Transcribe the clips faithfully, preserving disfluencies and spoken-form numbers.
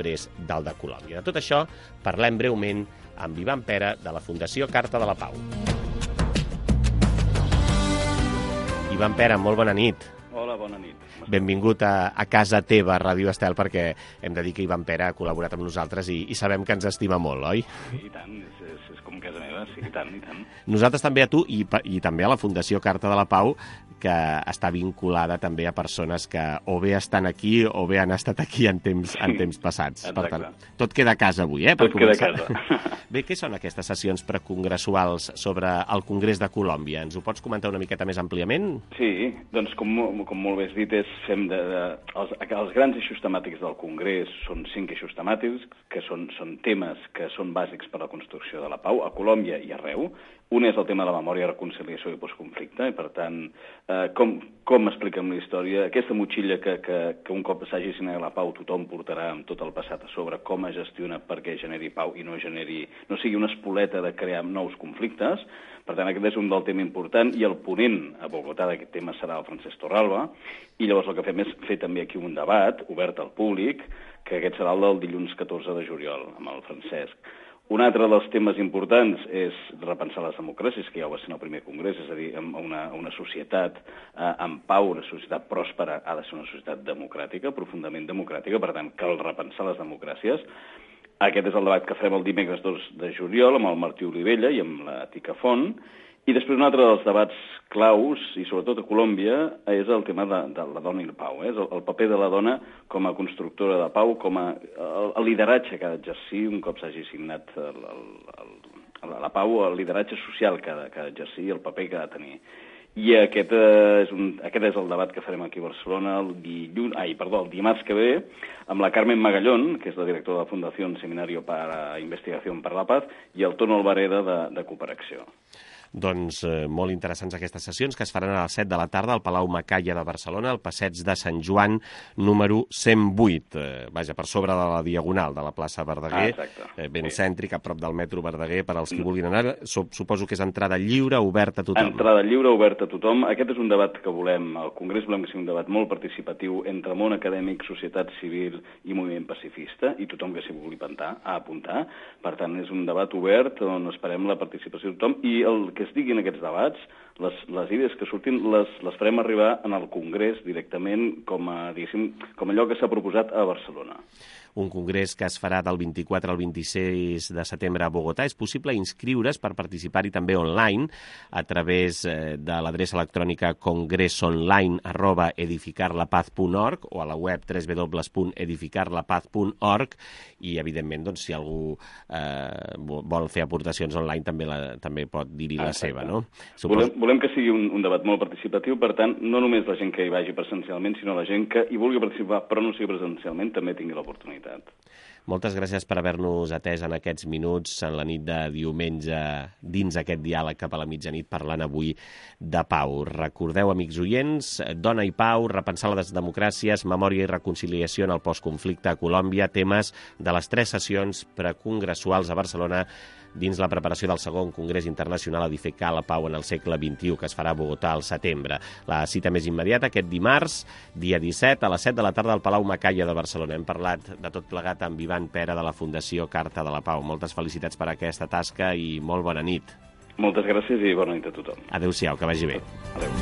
després del de Colòmbia. De tot això parlem breument amb Ivan Pera, de la Fundació Carta de la Pau. Ivan Pera, molt bona nit. Hola, bona nit. Benvingut a, a casa teva, Ràdio Estel, perquè hem de dir que Ivan Pera ha col·laborat amb nosaltres i, i sabem que ens estima molt, oi? Sí, i tant, és, és, és com casa meva, sí, i tant, i tant. Nosaltres també a tu i, i també a la Fundació Carta de la Pau, que està vinculada també a persones que o bé estan aquí o bé han estat aquí en temps, en temps passats. Exacte. Per tant, tot queda a casa avui, eh? Tot queda a casa. Bé, què són aquestes sessions precongressuals sobre el Congrés de Colòmbia? Ens ho pots comentar una miqueta més àmpliament? Sí, doncs com, com molt bé has dit, és, fem de, de, els, els grans eixos temàtics del Congrés són cinc eixos temàtics, que són, són temes que són bàsics per a la construcció de la pau, a Colòmbia i arreu. Un és el tema de la memòria, reconciliació i postconflicte, i per tant, eh, com, com expliquem la història, aquesta motxilla que, que, que un cop s'hagi signat la pau tothom portarà amb tot el passat a sobre, com es gestiona perquè generi pau i no generi, no sigui una espoleta de crear nous conflictes. Per tant, aquest és un del tema important, i el ponent a Bogotà d'aquest tema serà el Francesc Torralba, i llavors el que fem és fer també aquí un debat obert al públic, que aquest serà el del dilluns catorze de juliol, amb el Francesc. Un altre dels temes importants és repensar les democràcies, que ja ho va ser en el primer congrés, és a dir, una, una societat eh, en pau, una societat pròspera, ha de ser una societat democràtica, profundament democràtica, per tant, cal repensar les democràcies. Aquest és el debat que farem el dimecres dos de juliol amb el Martí Olivella i amb la Tica Font. I després un altre dels debats claus, i sobretot a Colòmbia, és el tema de, de la dona i la pau. Eh? El, el paper de la dona com a constructora de pau, com a el, el lideratge que ha d'exercir un cop s'hagi signat el, el, el, la pau, el lideratge social que ha d'exercir, el paper que ha de tenir. I aquest és, un, aquest és el debat que farem aquí a Barcelona el, dilluns, ai, perdó, el dimarts que ve, amb la Carmen Magallón, que és la directora de la Fundació Seminario para Investigación para la Paz, i el Tono Alvareda de, de Cooperació. Doncs eh, molt interessants aquestes sessions, que es faran a les set de la tarda al Palau Macaya de Barcelona, al passeig de Sant Joan, número cent vuit. Eh, vaja, per sobre de la Diagonal de la plaça Verdaguer, ah, eh, ben sí. Cèntric, a prop del metro Verdaguer, per als que vulguin anar. Suposo que és entrada lliure, oberta a tothom. Entrada lliure, oberta a tothom. Aquest és un debat que volem, al Congrés volem que sigui un debat molt participatiu entre món acadèmic, societat civil i moviment pacifista, i tothom que s'hi vulgui apuntar, a apuntar. Per tant, és un debat obert on esperem la participació de tothom, i el que es digui en aquests debats, les, les idees que surtin les, les farem arribar en el Congrés directament com a, diguéssim, com allò que s'ha proposat a Barcelona. Un congrés que es farà del vint-i-quatre al vint-i-sis de setembre a Bogotà. És possible inscriure's per participar-hi també online a través de l'adreça electrònica congresonline arroba edificarlapaz punt org o a la web w w w punt edificarlapaz punt org, i evidentment doncs, si algú eh, vol fer aportacions online també, la, també pot dir-hi la seva, no? Supos... Volem, volem que sigui un, un debat molt participatiu, per tant, no només la gent que hi vagi presencialment, sinó la gent que hi vulgui participar però no sigui presencialment també tingui l'oportunitat. Moltes gràcies per haver-nos atès en aquests minuts, en la nit de diumenge, dins aquest diàleg cap a la mitjanit, parlant avui de pau. Recordeu, amics oients, dona i pau, repensar les democràcies, memòria i reconciliació en el postconflicte a Colòmbia, temes de les tres sessions precongressuals a Barcelona dins la preparació del segon Congrés Internacional Edificar la Pau en el segle vint-i-u, que es farà a Bogotà al setembre. La cita més immediata aquest dimarts, dia disset, a les set de la tarda al Palau Macaya de Barcelona. Hem parlat de tot plegat amb Ivan Pera de la Fundació Carta de la Pau. Moltes felicitats per aquesta tasca i molt bona nit. Moltes gràcies i bona nit a tothom. Adéu-siau, que vagi bé. Adéu.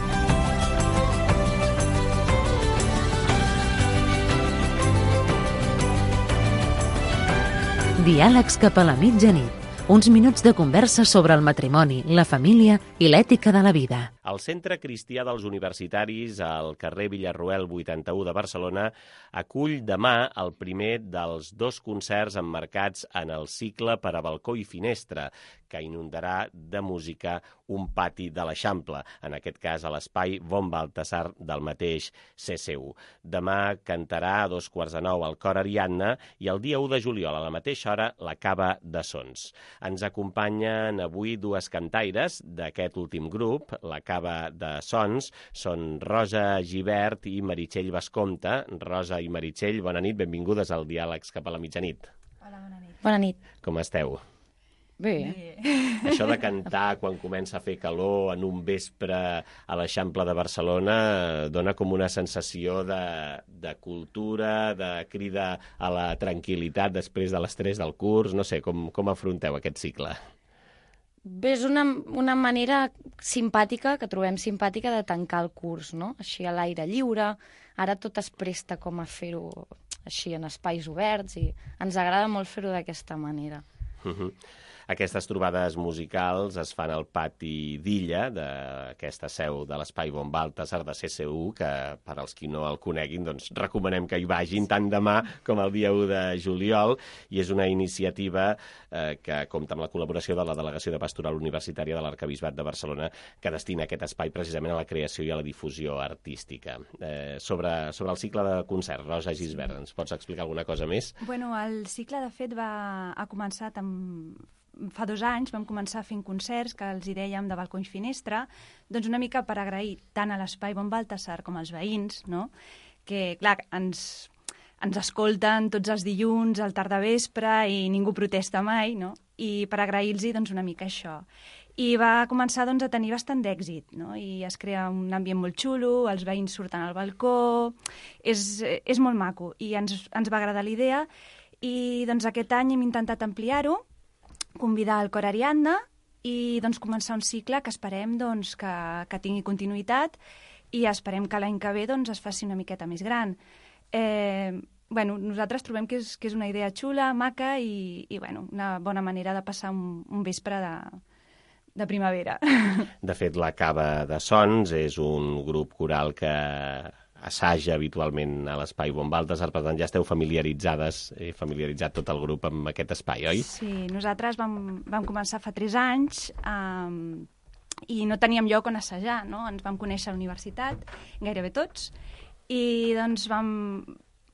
Diàlegs cap a la mitjanit. Uns minuts de conversa sobre el matrimoni, la família i l'ètica de la vida. El Centre Cristià dels Universitaris, al carrer Villarroel vuitanta-u de Barcelona, acull demà el primer dels dos concerts emmarcats en el cicle per a balcó i finestra, que inundarà de música un pati de l'Eixample, en aquest cas a l'espai Von Baltasar del mateix C C U. Demà cantarà a dos quarts de nou el cor Ariadna i el dia u de juliol, a la mateixa hora, la Cava de Sons. Ens acompanyen avui dues cantaires d'aquest últim grup, la Cava de Sons, són Rosa Gibert i Meritxell Bascompte. Rosa i Meritxell, bona nit, benvingudes al Diàlegs cap a la mitjanit. Hola, bona nit. Bona nit. Com esteu? Bé. Bé. Això de cantar quan comença a fer calor en un vespre a l'Eixample de Barcelona dona com una sensació de, de cultura, de crida a la tranquil·litat després de l'estrès del curs. No sé, com, com afronteu aquest cicle? Bé, és una, una manera simpàtica, que trobem simpàtica, de tancar el curs, no? Així a l'aire lliure. Ara tot es presta com a fer-ho així en espais oberts i ens agrada molt fer-ho d'aquesta manera. Uh-huh. Aquestes trobades musicals es fan al pati d'Illa, d'aquesta seu de l'Espai Bon Baltasar de C C U, que per als qui no el coneguin, doncs recomanem que hi vagin tant demà com el dia u de juliol, i és una iniciativa eh, que compta amb la col·laboració de la Delegació de Pastoral Universitària de l'Arquebisbat de Barcelona, que destina aquest espai precisament a la creació i a la difusió artística. Eh, sobre, sobre el cicle de concert, Rosa Gisbert, ens pots explicar alguna cosa més? Bueno, el cicle, de fet, va ha començat amb... Fa dos anys vam començar fent concerts que els hi dèiem de balcó i finestra, doncs una mica per agrair tant a l'Espai Bon Baltasar com als veïns, no? Que, clar, ens, ens escolten tots els dilluns al tardavespre i ningú protesta mai, no? I per agrair-los doncs, una mica això. I va començar doncs, a tenir bastant d'èxit, no? I es crea un ambient molt xulo, els veïns surten al balcó, és, és molt maco, i ens, ens va agradar la idea, i doncs, aquest any hem intentat ampliar-ho, convidar el cor Ariadna i doncs, començar un cicle que esperem doncs, que, que tingui continuïtat i esperem que l'any que ve doncs, es faci una miqueta més gran. Eh, bueno, nosaltres trobem que és, que és una idea xula, maca i, i bueno, una bona manera de passar un, un vespre de, de primavera. De fet, la Cava de Sons és un grup coral que assaja habitualment a l'Espai Bon Baltasar, per tant ja esteu familiaritzades, he familiaritzat tot el grup amb aquest espai, oi? Sí, nosaltres vam, vam començar fa tres anys um, i no teníem lloc on assajar, no? Ens vam conèixer a la universitat, gairebé tots, i doncs vam...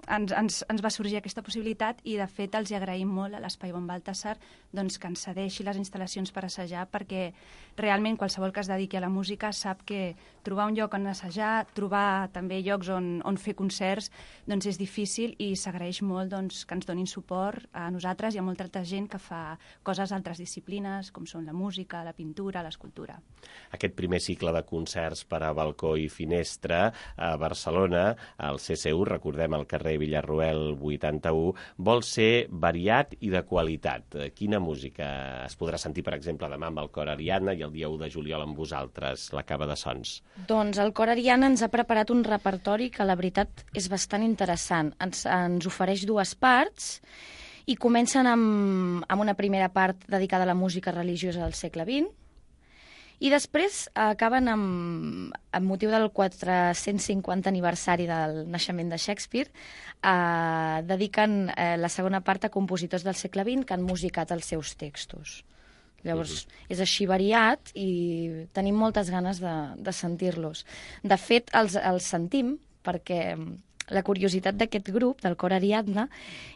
Ens, ens, ens va sorgir aquesta possibilitat i, de fet, els hi agraïm molt a l'Espai Bon Baltasar doncs, que ens cedeixi les instal·lacions per assajar, perquè realment qualsevol que es dediqui a la música sap que trobar un lloc on assajar, trobar també llocs on, on fer concerts, doncs és difícil i s'agraeix molt doncs, que ens donin suport a nosaltres i a molta altra gent que fa coses d'altres disciplines, com són la música, la pintura, l'escultura. Aquest primer cicle de concerts per a balcó i finestra a Barcelona, al C C U, recordem, al carrer Villarroel vuitanta-u, vol ser variat i de qualitat. Quina música es podrà sentir, per exemple, demà amb el cor Ariadna i el dia u de juliol amb vosaltres, la Cava de Sons? Doncs el cor Ariadna ens ha preparat un repertori que la veritat és bastant interessant. Ens, ens ofereix dues parts i comencen amb, amb una primera part dedicada a la música religiosa del segle vint, i després acaben amb, amb motiu del quatre-cents cinquanta aniversari del naixement de Shakespeare, eh, dediquen eh, la segona part a compositors del segle vint que han musicat els seus textos. Llavors, uh-huh. és així variat i tenim moltes ganes de, de sentir-los. De fet, els, els sentim perquè la curiositat d'aquest grup, del cor Ariadna,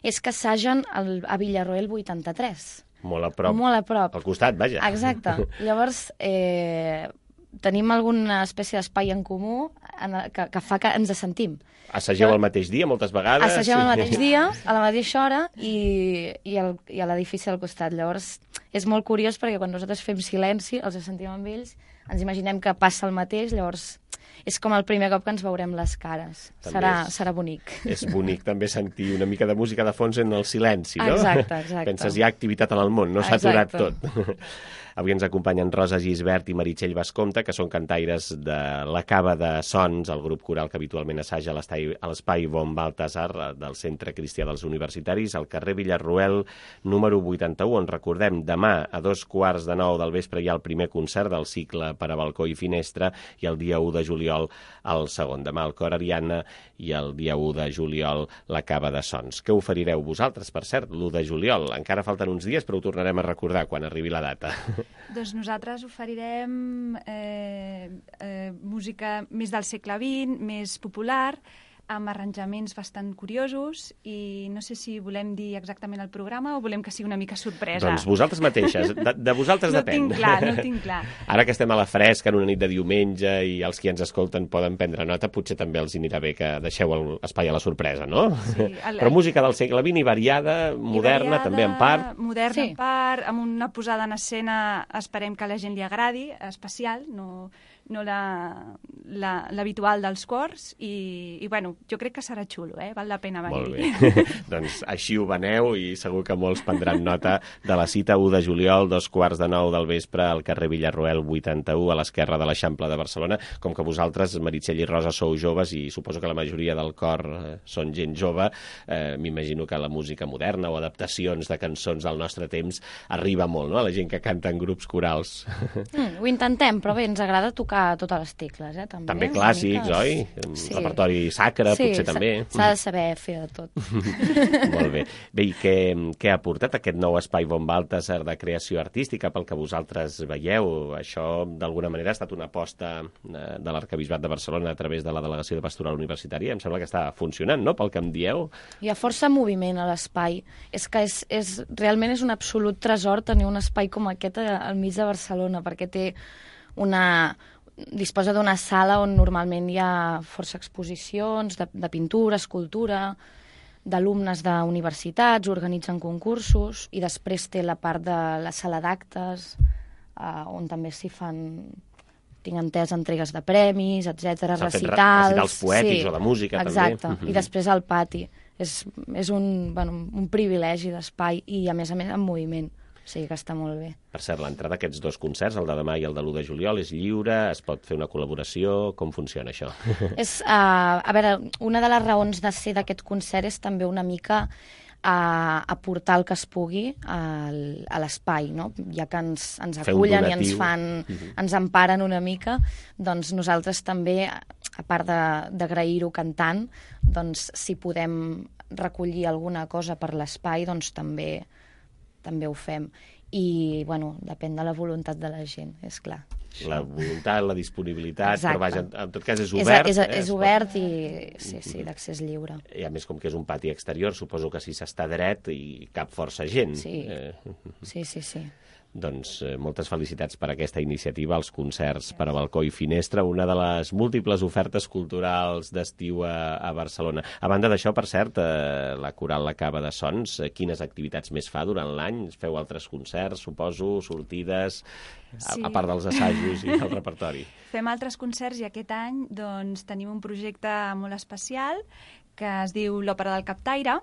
és que assagen el, a Villarroel vuitanta-tres. Molt a prop. Molt a prop. Al costat, vaja. Exacte. Llavors, eh, tenim alguna espècie d'espai en comú en el, que, que fa que ens sentim. Assageu el mateix dia, moltes vegades? Assagem sí. el mateix dia, a la mateixa hora, i, i, el, i a l'edifici al costat. Llavors, és molt curiós perquè quan nosaltres fem silenci, els sentim amb ells, ens imaginem que passa el mateix, llavors és com el primer cop que ens veurem les cares. Serà, és, serà bonic. És bonic també sentir una mica de música de fons en el silenci, no? Exacte, exacte. Penses, hi ha activitat en el món, no s'ha aturat tot. Avui ens acompanyen Rosa Gisbert i Meritxell Bascompte, que són cantaires de la Cava de Sons, el grup coral que habitualment assaja a l'Espai Bon Baltasar del Centre Cristià dels Universitaris, al carrer Villarroel número vuitanta-u, on recordem, demà a dos quarts de nou del vespre hi ha el primer concert del cicle per a balcó i finestra, i el dia u de juliol el segon. Demà el cor Ariadna i el dia u de juliol la Cava de Sons. Què oferireu vosaltres, per cert, l'u de juliol? Encara falten uns dies, però ho tornarem a recordar quan arribi la data. Doncs nosaltres oferirem eh, eh, música més del segle vint, més popular, amb arranjaments bastant curiosos i no sé si volem dir exactament el programa o volem que sigui una mica sorpresa. Doncs vosaltres mateixes, de, de vosaltres no depèn. No tinc clar, no tinc clar. Ara que estem a la fresca en una nit de diumenge i els qui ens escolten poden prendre nota, potser també els anirà bé que deixeu l'espai a la sorpresa, no? Sí, el, Però música del segle vint i variada, moderna, variada, també en part. Moderna Sí. en part, amb una posada en escena esperem que a la gent li agradi, especial, no, no la- la- l'habitual dels cors, i, i bueno, jo crec que serà xulo, eh? Val la pena Molt venir-hi. bé. Doncs així ho veneu i segur que molts prendran nota de la cita u de juliol, dos quarts de nou del vespre, al carrer Villarroel vuitanta-u, a l'esquerra de l'Eixample de Barcelona. Com que vosaltres, Meritxell i Rosa, sou joves i suposo que la majoria del cor eh, són gent jove, eh, m'imagino que la música moderna o adaptacions de cançons del nostre temps arriba molt, no?, a la gent que canta en grups corals. Mm, ho intentem, però bé, ens agrada tocar totes les tecles, eh? També, També una clàssics, mica. oi? Sí. Repertori sacre, Sí, potser s'ha- també. s'ha de saber fer de tot. Molt bé. Bé, i què, què ha portat aquest nou espai Von Baltasar de creació artística pel que vosaltres veieu? Això, d'alguna manera, ha estat una aposta eh, de l'Arquebisbat de Barcelona a través de la Delegació de Pastoral Universitària. Em sembla que està funcionant, no?, pel que em dieu. Hi ha força moviment a l'espai. És que és, és, realment és un absolut tresor tenir un espai com aquest a- al mig de Barcelona, perquè té una... disposa d'una sala on normalment hi ha força exposicions de, de pintura, escultura, d'alumnes d'universitats, organitzen concursos, i després té la part de la sala d'actes, eh, on també s'hi fan, tinc entès, entregues de premis, etcètera, S'han fet re- recitals... recitals poètics o de música, també. Exacte, Mhm. i després al pati. És, és un, bueno, un privilegi d'espai i, a més a més, en moviment. O sigui que està molt bé. Per cert, l'entrada d'aquests dos concerts, el de demà i el de l'u de juliol, és lliure, es pot fer una col·laboració... Com funciona això? És, uh, a veure, una de les raons de ser d'aquest concert és també una mica a aportar el que es pugui al, a l'espai, no? Ja que ens, ens Fer un acullen i ens donatiu. fan, Mhm. ens emparen una mica, doncs nosaltres també, a part de- d'agrair-ho cantant, doncs si podem recollir alguna cosa per l'espai, doncs també, també ho fem. I, bueno, depèn de la voluntat de la gent, és clar. La voluntat, la disponibilitat, Exacte. però vaja, en tot cas és obert. És, és, eh? és Es pot- obert i, sí, sí, d'accés lliure. I a més, com que és un pati exterior, suposo que si s'està dret i cap força gent. Sí. Eh, Sí, sí, sí. doncs eh, moltes felicitats per aquesta iniciativa, els concerts per a balcó i finestra, una de les múltiples ofertes culturals d'estiu a, a Barcelona. A banda d'això, per cert, eh, la Coral La Cava de Sons, eh, quines activitats més fa durant l'any? Feu altres concerts, suposo, sortides, a, Sí. a part dels assajos i del repertori? Fem altres concerts i aquest any doncs, tenim un projecte molt especial que es diu l'Òpera del Captaire,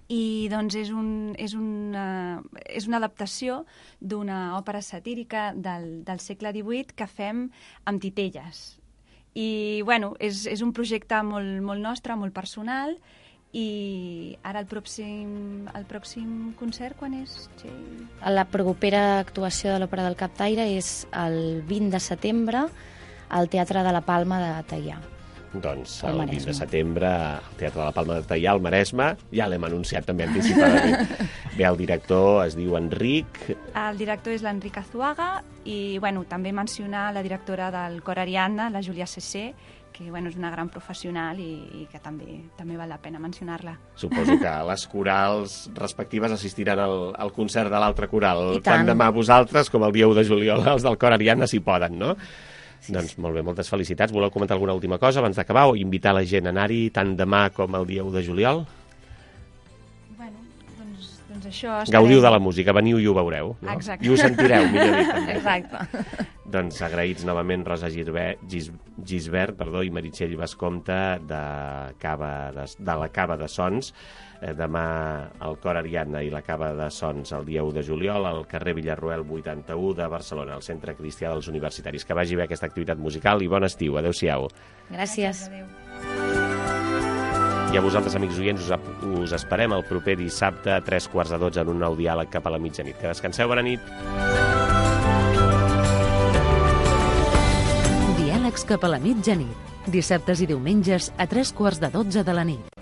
i doncs és, un, és, una, és una adaptació d'una òpera satírica del, del segle divuit que fem amb titelles. I bueno, és, és un projecte molt, molt nostre, molt personal, i ara el pròxim, el pròxim concert quan és, Txell? La propera actuació de l'Òpera del Captaire és el vint de setembre al Teatre de la Palma de Teià. Doncs Al el vint Maresme. de setembre al Teatre de la Palma de Teià, al Maresme, ja l'hem anunciat també anticipadament. Bé, el director es diu Enric. El director és l'Enric Azuaga i bueno, també mencionar la directora del Cor Ariadna, la Júlia Cessé, que bueno, és una gran professional i, i que també també val la pena mencionar-la. Suposo que les corals respectives assistiran al, al concert de l'altre coral. I tant. Tant demà vosaltres com el dia u de juliol els del Cor Ariadna si poden, no? Sí, doncs molt bé, moltes felicitats. Voleu comentar alguna última cosa abans d'acabar o invitar la gent a anar-hi tant demà com el dia u de juliol? Bueno, doncs, doncs això... Gaudiu de la música, veniu i ho veureu. No? Exacte. I ho sentireu, millor dit. També. Exacte. Doncs agraïts novament Rosa Gisbert, Gis, Gisbert perdó, i Meritxell Bascompte de, Cava de, de la Cava de Sons. Eh, demà el Cor Ariadna i la Cava de Sons el dia u de juliol al carrer Villarroel vuitanta-u de Barcelona, al Centre Cristià dels Universitaris. Que vagi bé aquesta activitat musical i bon estiu. Adéu-siau. Gràcies. Adéu. I a vosaltres, amics oients, us, us esperem el proper dissabte a tres quarts de dotze en un nou diàleg cap a la mitjanit. Que descanseu, bona nit. Diàlegs cap a la mitjanit. Dissabtes i diumenges a tres quarts de dotze de la nit.